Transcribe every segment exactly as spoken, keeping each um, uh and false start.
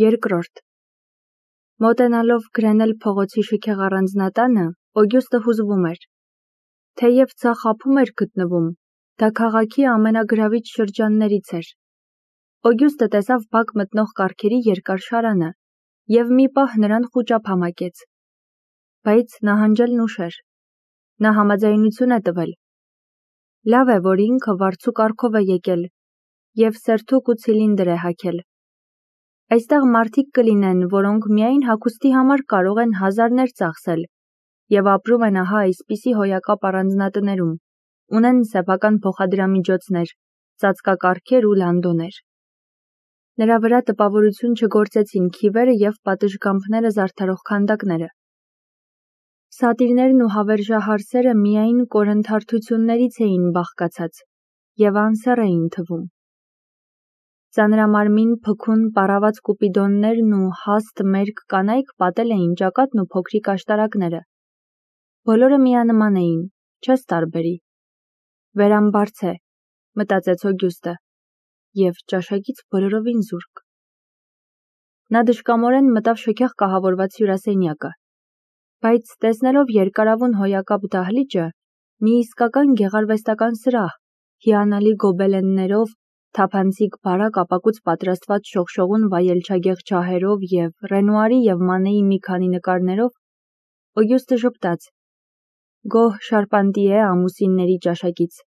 Երկրորդ Մոտենալով գրենել փողոցի շքեղ առանձնատանը, Օգյուստը հուզվում էր։ Թեև ցախ ափում էր գտնվում, դա քաղաքի ամենագրավիչ շրջաններից էր։ Օգյուստը տեսավ բակ մտնող կառքերի երկար շարանը և մի պահ նրան խուճապ համակեց։ Բայց նահանջելն ուշ էր։ Նա համաձայնություն է տվել։ Լավ է, որ ինքը վարձու կառքով է եկել և սերթուկ ու ցիլինդր է հագել։ Այստեղ մարդիկ կլինեն, որոնք միայն հագուստի համար կարող են հազարներ ծախսել և ապրում են ահա այսպիսի հոյակապ առանձնատներում, ունեն սեփական փոխադրամիջոցներ, ծածկակառքեր ու լանդոներ։ Նրա վրա տպավորություն չգործեցին քիվերը և պատշգամբները զարդարող քանդակները։ Սատիրներն ու հավերժահարսերը միայն կորնթարթություններից էին բաղկացած և անսեռ էին թվում։ Ծանրամարմին փքուն պառաված կուպիդոններն ու հաստ մերկ կանայք պատել էին ճակատն ու փոքրիկ աշտարակները։ Բոլորը միանման էին, չես տարբերի։ Վերամբարձ է, մտածեց Օգյուստը, և ճաշակից բոլորովին զուրկ։ Նա դժկամորեն մտավ շքեղ կահավորված հյուրասենյակը, բայց տեսնելով երկարավուն հոյակապ դահլիճը, մի իսկական գեղարվեստական սրահ, հիանալի գոբելեններով, թափանցիկ բարակ ապակուց պատրաստված շողշողուն վայելչագեղ ջահերով և Ռենուարի և Մանեի մի քանի նկարներով, Օգյուստը ժպտաց. գոհ Շարպանտիե ամուսինների ճաշակից։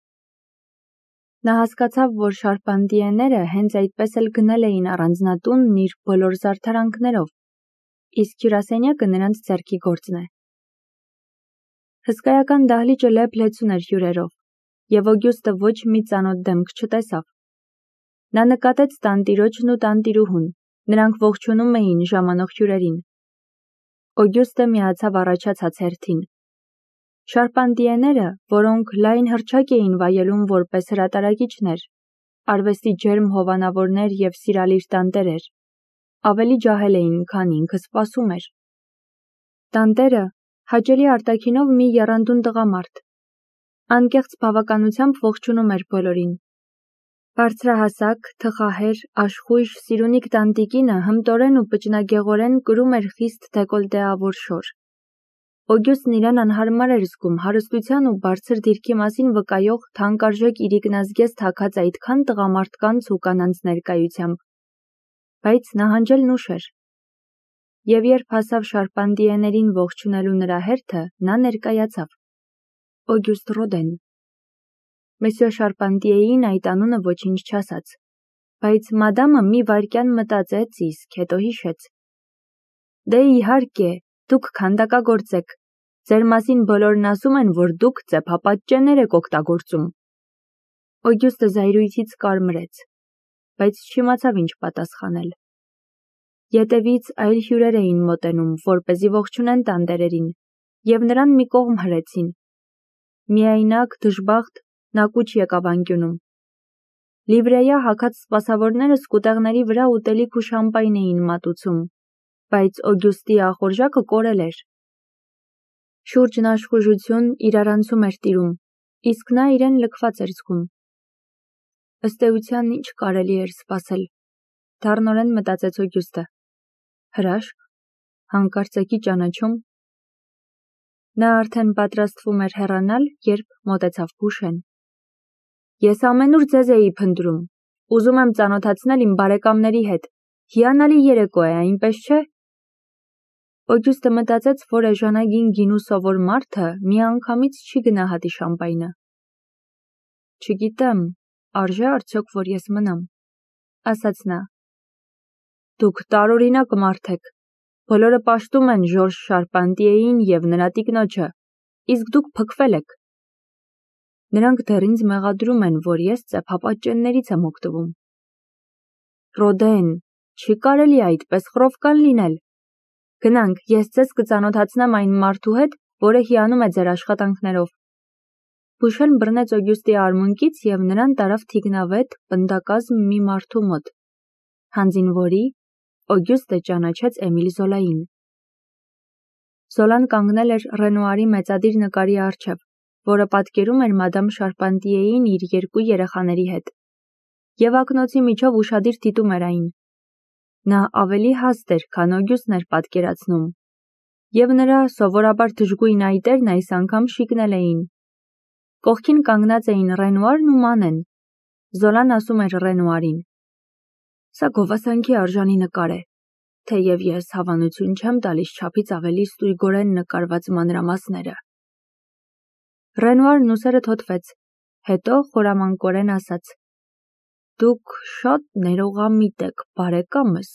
Նա հասկացավ, որ Շարպանտիեները հենց այդպես էլ գնել էին առանձնատունն իր բոլոր զարդարանքներով, իսկ հյուրասենյակը նրանց ձեռքի գործն է։ Հսկայական դահլիճը լեփ-լեցուն էր հյուրերով, և Օգյուստը ոչ մի ծանոթ դեմք չտեսավ։ Նա նկատեց տանտիրոջն ու տանտիրուհուն, նրանք ողջունում էին ժամանող հյուրերին։ Օգյուստը միացավ առաջացած հերթին։ Շարպանտիեները, որոնք լայն հռչակ էին վայելում որպես հրատարակիչներ, արվեստի ջերմ հովանավորներ և սիրալիր տանտերեր, ավելի ջահել էին, քան ինքը սպասում էր։ Տանտերը հաճելի արտաքինով մի եռանդուն տղամարդ, անկեղծ բավականությամբ ողջունում էր բոլորին։ Բարձրահասակ, թխահեր, աշխույժ, սիրունիկ տանտիկինը հմտորեն ու պճնագեղորեն կրում էր խիստ դեկոլտեավոր շոր։ Օգյուստն իրեն անհարմար էր զգում հարստության ու բարձր դիրքի մասին վկայող թանկարժեք իրիկնազգեստ հագած այդքան տղամարդկանց ու կանանց ներկայությամբ։ Բայց նահանջելն ուշ էր։ Եվ երբ հասավ Շարպանտիեներին ողջունելու նրա հերթը, նա ներկայացավ. Օգյուստ Ռոդեն։ Մեսյո Շարպանտիեին այդ անունը ոչինչ չասաց, բայց մադամը մի վայրկյան մտածեց, իսկ հետո հիշեց. Դե իհարկե, դուք քանդակագործ եք, ձեր մասին բոլորն ասում են, որ դուք ծեփապատճեններ եք օգտագործում։ Օգյուստը զայրույթից կարմրեց, բայց չիմացավ ինչ պատասխանել։ Ետևից այլ հյուրեր էին մոտենում, որպեսզի ողջունեն տանտերերին, և նրան մի կողմ հրեցին։ Միայնակ, դժբախտ, նա կուչ եկավ անկյունում։ Լիվրեյա հագած սպասավորները սկուտեղների վրա ուտելիք ու շամպայն էին մատուցում, բայց Օգյուստի ախորժակը կորել էր։ Շուրջն աշխուժություն, իրարանցում էր տիրում, իսկ նա իրեն լքված էր զգում։ Ըստ էության ինչ կարելի էր սպասել, դառնորեն մտածեց Օգյուստը։ Հրաշք, հանկարծակի ճանաչում։ Նա արդեն պատրաստվում էր հեռանալ, երբ մոտեցավ Բուշեն։ Ես ամենուր ձեզ էի փնտրում, ուզում եմ ծանոթացնել իմ բարեկամների հետ, հիանալի երեկո է, այնպես չէ։ Օգյուստը մտածեց, որ էժանագին գինու սովոր մարդը միանգամից չի գնահատի շամպայնը։ Չգիտեմ, արժե արդյոք, որ ես մնամ, ասաց նա։ Դուք տարօրինակ մարդ եք, բոլորը պաշտում են Ժորժ Շարպանտիեին և նրա տիկնոջը, իսկ դուք փքվել եք։ Նրանք դեռ ինձ մեղադրում են, որ ես ծեփապատճեններից եմ օգտվում։ Ռոդեն, չի կարելի այդպես խռովկան լինել։ Գնանք, ես ձեզ կծանոթացնեմ այն մարդու հետ, որը հիանում է ձեր աշխատանքներով։ Բուշեն բռնեց Օգյուստի արմունկից և նրան տարավ թիկնավետ, պնդակազմ մի մարդու մոտ, հանձին որի Օգյուստը ճանաչեց Էմիլ Զոլային։ Զոլան կանգնել էր Ռենուարի մեծադիր նկարի առջև, որը պատկերում էր մադամ Շարպանտիեին իր երկու երեխաների հետ, և ակնոցի միջով ուշադիր դիտում էր այն։ Նա ավելի հաստ էր, քան Օգյուստն էր պատկերացնում, և նրա սովորաբար դժգույն այտերն այս անգամ շիկնել էին։ Կողքին կանգնած էին Ռենուարն ու Մանեն։ Զոլան ասում էր Ռենուարին. «Սա գովասանքի արժանի նկար է, թեև ես հավանություն չեմ տալիս չափից ավելի ստույգորեն նկարված մանրամասները»։ Ռենուարն ուսերը թոթվեց, հետո խորամանկորեն ասաց. «Դուք շատ ներողամիտ եք, բարեկամս»։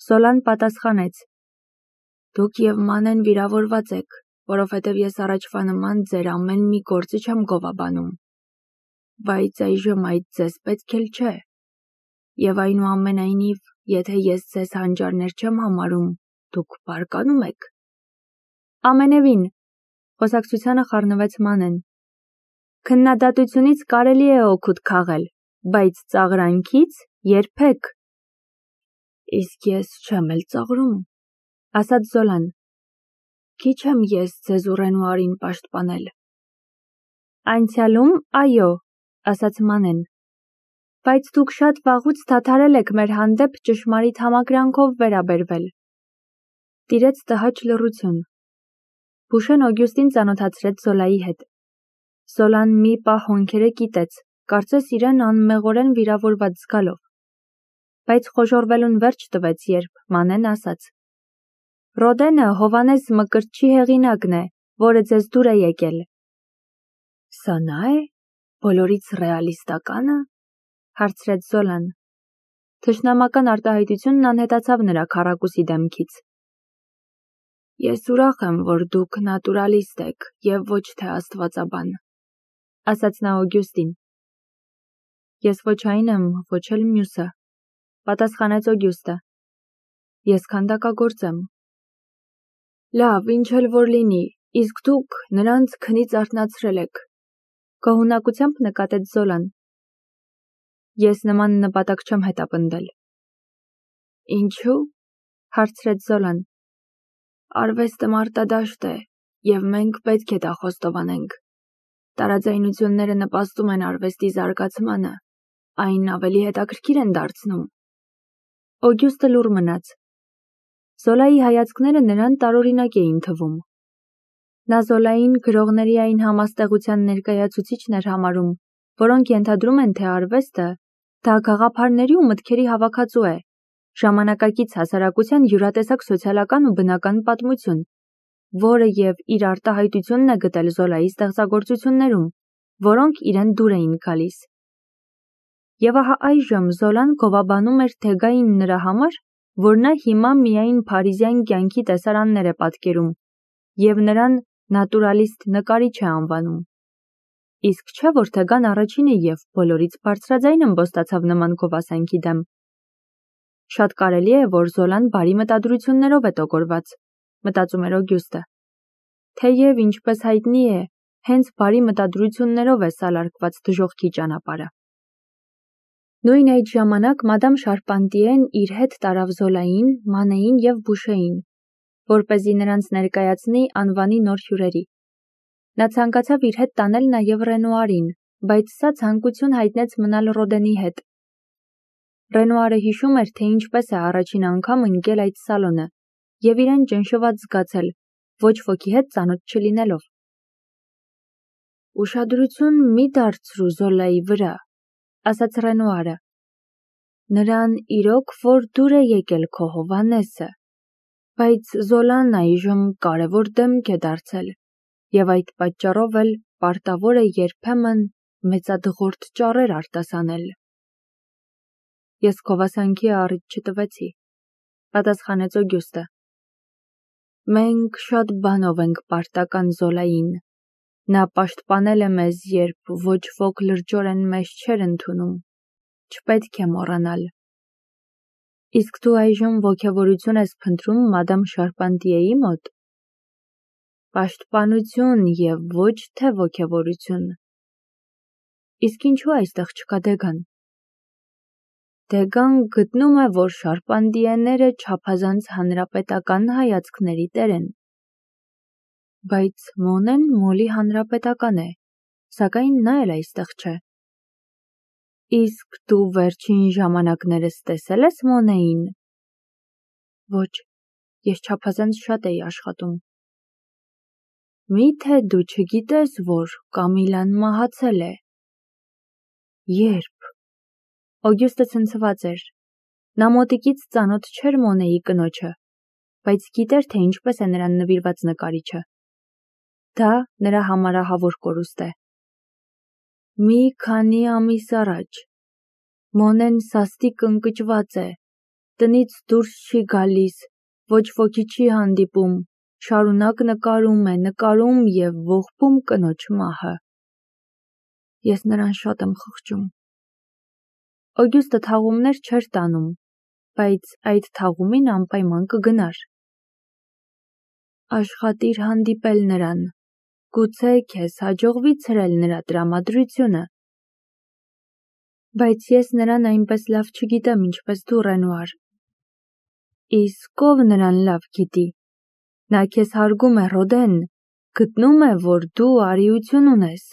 Զոլան պատասխանեց. «Դուք և Մանեն վիրավորված եք, որովհետև ես առաջվա նման ձեր ամեն մի գործը չեմ գովաբանում։ Բայց այժմ այդ ձեզ պետք էլ չէ։ Եվ այնուամենայնիվ, եթե ես ձեզ հանճարներ չեմ համարում, դուք բարկանում եք»։ Ամենևին, խոսակցությանը խառնվեց Մանեն։ Քննադատությունից կարելի է օգուտ քաղել, բայց ծաղրանքից՝ երբեք։ Իսկ ես չեմ էլ ծաղրում, ասաց Զոլան։ Քիչ եմ ես ձեզ ու Ռենուարին պաշտպանել։ Անցյալում, այո, ասաց Մանեն։ Բայց դուք շատ վաղուց դադարել եք մեր հանդեպ ճշմարիտ համակրանքով վերաբերվել։ Տիրեց տհաճ լռություն։ Բուշեն Օգյուստին ծանոթացրեց Զոլայի հետ։ Զոլան մի պահ հոնքերը կիտեց, կարծես իրեն անմեղորեն վիրավորված զգալով։ Բայց խոժոռվելուն վերջ տվեց, երբ Մանեն ասաց. Ռոդենը Հովանես Մկրտչի հեղինակն է, որը ձեզ դուր է եկել։ Սա նա է, բոլորից ռեալիստականը, հարցրեց Զոլան։ Թշնամական արտահայտությունն անհետացավ նրա քառակուսի դեմքից։ Ես ուրախ եմ, որ դուք նատուրալիստ եք և ոչ թե աստվածաբան, ասաց նա Օգյուստին։ Ես ոչ այն եմ, ոչ էլ մյուսը, պատասխանեց Օգյուստը։ Ես քանդակագործ եմ։ Լավ, ինչ էլ որ լինի, իսկ դուք նրանց քնից արթնացրել եք, գոհունակությամբ նկատեց Զոլան։ Ես նման նպատակ չեմ հետապնդել։ Ինչու՞, հարցրեց Զոլան։ Արվեստը մարտադաշտ է, և մենք պետք է դա խոստովանենք։ Տարաձայնությունները նպաստում են արվեստի զարգացմանը, այն ավելի հետաքրքիր են դարձնում։ Օգյուստը լուռ մնաց։ Զոլայի հայացքները նրան տարօրինակ էին թվում։ Նա Զոլային գրողների այն համաստեղության ներկայացուցիչն էր համարում, որոնք ենթադրում են, թե արվեստը դա գաղափարների ու մտքերի հավաքածու է, ժամանակակից հասարակության յուրատեսակ սոցիալական ու բնական պատմություն, որը և իր արտահայտությունն է գտել Զոլայի ստեղծագործություններում, որոնք իրեն դուր էին գալիս։ Եվ ահա այժմ Զոլան գովաբանում էր Թեգային նրա համար, որ նա հիմա միայն փարիզյան կյանքի տեսարաններ է պատկերում և նրան նատուրալիստ նկարիչ է անվանում։ Իսկ չէ, որ Թեգան առաջինը և բոլորից բարձրաձայն ըմբոստացավ նման գովասանքի դեմ։ Շատ կարելի է, որ Զոլան բարի մտադրություններով է տոգորված, մտածում էր Օգյուստը։ Թեև, ինչպես հայտնի է, հենց բարի մտադրություններով է սալարկված դժոխքի ճանապարհը։ Նույն այդ ժամանակ մադամ Շարպանտիեն իր հետ տարավ Զոլային, Մանեին և Բուշեին, որպեսզի նրանց ներկայացնի անվանի նոր հյուրերի։ Նա ցանկացավ իր հետ տանել նաև Ռենուարին, բայց սա ցանկություն հայտնեց մնալ Ռոդենի հետ։ Ռենուարը հիշում էր, թե ինչպես է առաջին անգամ ընկել այդ սալոնը և իրեն ճնշված զգացել, ոչ ոքի հետ ծանոթ չլինելով։ Ուշադրություն մի դարձրու Զոլայի վրա, ասաց Ռենուարը։ Նրան իրոք որ դուր է եկել քո Հովանեսը, բայց Զոլան այժմ կարևոր դեմք է դարձել, և այդ պատճառով էլ պարտավոր է երբեմն մեծադղորդ ճառեր արտասանել։ Ես գովասանքի առիթ չտվեցի, պատասխանեց Օգյուստը։ Մենք շատ բանով ենք պարտական Զոլային։ Նա պաշտպանել է մեզ, երբ ոչ ոք լրջորեն մեզ չէր ընդունում, չպետք է մոռանալ։ Իսկ դու այժմ ոգևորություն ես փնտրում մադամ Շարպանտիեի մոտ։ Պաշտպանություն և ոչ թե ոգևորություն։ Իսկ ինչու այստեղ չկա Դեգան։ Դեգան գտնում է, որ Շարպանտիեները չափազանց հանրապետական հայացքների տեր են։ Բայց Մոնեն մոլի հանրապետական է, սակայն նա էլ այստեղ չէ։ Իսկ դու վերջին ժամանակներս տեսել ես Մոնեին։ Ոչ, ես չափազանց շատ էի աշխատում։ Մի՞թե դու չգիտես, որ Կամիլան մահացել է։ Երբ։ Օգյուստը ցնցված էր։ Նա մոտիկից ծանոթ չէր Մոնեի կնոջը, բայց գիտեր, թե ինչպես է նրան նվիրված նկարիչը։ Դա նրա համարահավոր կորուստ է։ Մի քանի ամիս առաջ Մոնեն սաստիկ ընկճված է, տնից դուրս չի գալիս, ոչ ոքի չի հանդիպում, շարունակ նկարում է, նկարում և ողբում կնոջ մահը։ Ես նրան շատ եմ խղճում։ Օգյուստը թաղումներ չէր տանում, բայց այդ թաղումին անպայման կգնար։ Աշխատիր հանդիպել նրան, գուցե քեզ հաջողվի ցրել նրա տրամադրությունը։ Բայց ես նրան այնպես լավ չգիտեմ, ինչպես դու, Ռենուար։ Իսկ ով նրան լավ գիտի։ Նա քեզ հարգում է, Ռոդեն, գտնում է, որ դու արիություն ունես։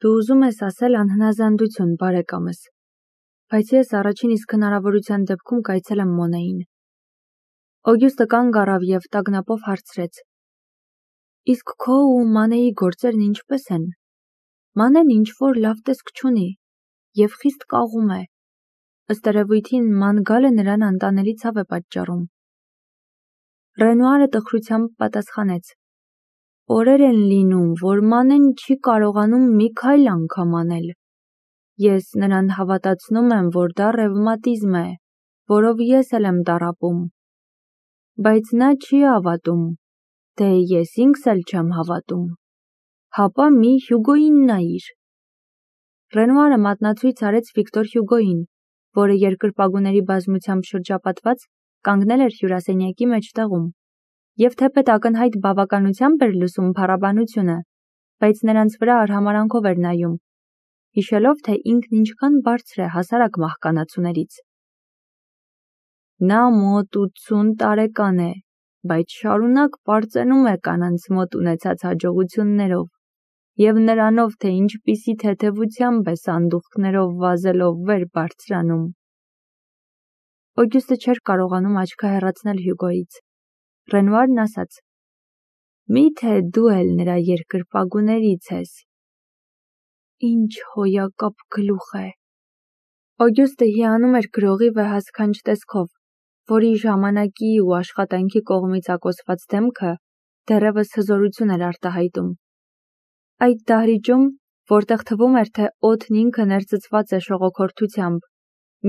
Դու ուզում ես ասել անհնազանդություն, բարեկամս, բայց ես առաջին իսկ հնարավորության դեպքում կայցելեմ Մոնեին։ Օգյուստը կանգ առավ և տագնապով հարցրեց. Իսկ քո ու Մանեի գործերն ինչպես են։ Մանեն ինչ-որ լավ տեսք չունի և խիստ կաղում է։ Ըստ երևույթին ման գալը նրան անտանելի ցավ է պատճառում։ Ռենուարը տխրությամբ պատասխանեց. Օրեր են լինում, որ Մանեն չի կարողանում մի քայլ անգամ անել։ Ես նրան հավատացնում եմ, որ դա ռևմատիզմ է, որով ես էլ եմ տառապում։ Բայց նա չի հավատում, դե ես ինքս էլ չեմ հավատում։ Հապա մի Հյուգոյին նայիր։ Ռենուարը մատնացույց արեց Վիկտոր Հյուգոյին, որը երկրպագուների բազմությամբ շրջապատված կանգնել էր հյուրասենյակի մեջտեղում, և թեպետ ակնհայտ բավականությամբ էր լսում փառաբանությունը, բայց նրանց վրա արհամարհանքով էր նայում, հիշելով, թե ինքն ինչքան բարձր է հասարակ մահկանացուներից։ Նա մոտ ութսուն տարեկան է, բայց շարունակ պարծենում է կանանց մոտ ունեցած հաջողություններով և նրանով, թե ինչպիսի թեթևությամբ է սանդուղքներով վազելով վեր բարձրանում։ Օգյուստը չէր կարողանում աչքը հեռացնել Հյուգոյից։ Ռենուարն ասաց. Մի՞թե դու էլ նրա երկրպագուներից ես։ Ինչ հոյակապ գլուխ է։ Օգյուստը հիանում էր գրողի վեհասքանչ տեսքով, որի ժամանակի ու աշխատանքի կողմից ակոսված դեմքը դեռևս հզորություն էր արտահայտում։ Այդ դահլիճում, որտեղ թվում էր, թե օդն ինքը ներծծված է շողոքորթությամբ,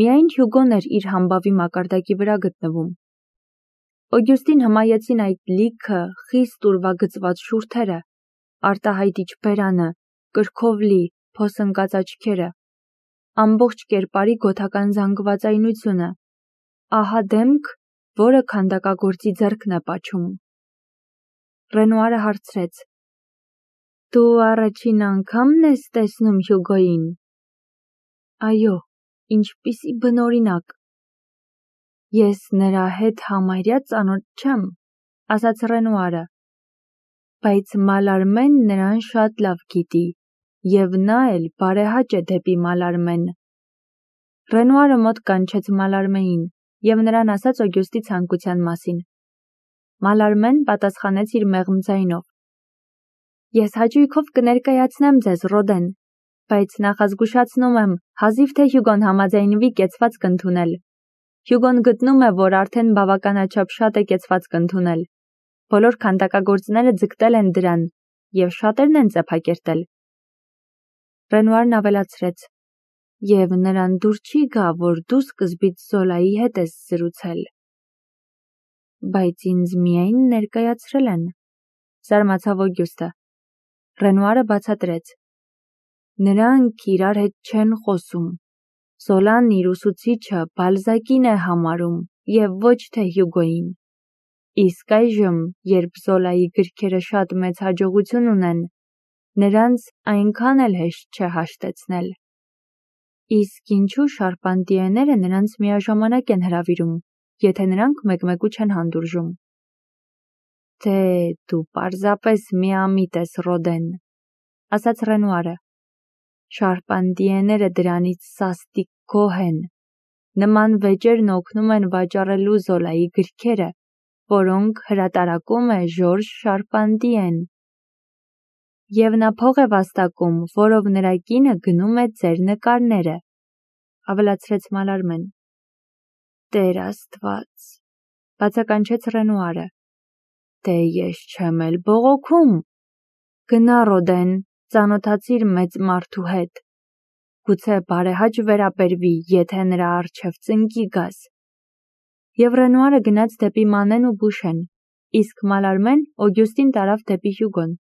միայն Հյուգոն էր իր համբավի մակարդակի վրա գտնվում։ Օգյուստին հմայեցին այդ լիքը, խիստ ուրվագծված շուրթերը, արտահայտիչ բերանը, կրքով լի, փոսընկած աչքերը, ամբողջ կերպարի գոթական զանգվածայնությունը, ահա դեմք, որը քանդակագործի ձեռքն է պաչում։ Ռենուարը հարցրեց. Դու առաջին անգամն ես տեսնում Հյուգոյին։ Այո, ինչպիսի բնօրինակ։ Ես նրա հետ համարյա ծանոթ չեմ, ասաց Ռենուարը, բայց Մալարմեն նրան շատ լավ գիտի, և նա էլ բարեհաճ է դեպի Մալարմեն։ Ռենուարը մոտ կանչեց Մալարմեին և նրան ասաց Օգյուստի ցանկության մասին։ Մալարմեն պատասխանեց իր մեղմ ձայնով. Ես հաճույքով կներկայացնեմ ձեզ, Ռոդեն, բայց նախազգուշացնում եմ, հազիվ թե Հյուգոն համաձայնվի կեցվածք ընդունել։ Հյուգոն գտնում է, որ արդեն բավականաչափ շատ է կեցվածք ընդունել։ Բոլոր քանդակագործները ձգտել են դրան, և շատերն են ծեփակերտել։ Ռենուարն ավելացրեց. Եվ նրան դուր չի գա, որ դու սկզբից Զոլայի հետ ես զրուցել։ Բայց ինձ միայն ներկայացրել են, զարմացավ Օգյուստը։ Ռենուարը բացատրեց. Նրանք իրար հետ չեն խոսում։ Զոլան իր ուսուցիչը Բալզակին է համարում և ոչ թե Հյուգոյին։ Իսկ այժմ, երբ Զոլայի գրքերը շատ մեծ հաջողություն ունեն, նրանց այնքան էլ հեշտ չէ հաշտեցնել։ Իսկ ինչու Շարպանտիեները նրանց միաժամանակ են հրավիրում, եթե նրանք մեկ-մեկու չեն հանդուրժում։ Դե դու պարզապես միամիտ ես, Ռոդեն, ասաց Ռենուարը։ Շարպանտիեները դրանից սաստիկ գոհ են։ Նման վեճերն օգնում են վաճառելու Զոլայի գրքերը, որոնք հրատարակում է Ժորժ Շարպանտիեն։ Եվ նա փող է վաստակում, որով նրա կինը գնում է ձեր նկարները, ավելացրեց Մալարմեն։ Տեր Աստված, բացականչեց Ռենուարը։ Դե ես չեմ էլ բողոքում։ Գնա Ռոդեն, ծանոթացիր մեծ մարդու հետ։ Գուցե բարեհաճ վերաբերվի, եթե նրա առջև ծնկի գաս։ Եվ Ռենուարը գնաց դեպի Մանեն ու Բուշեն, իսկ Մալարմեն Օգյուստին տարավ դեպի Հյուգոն։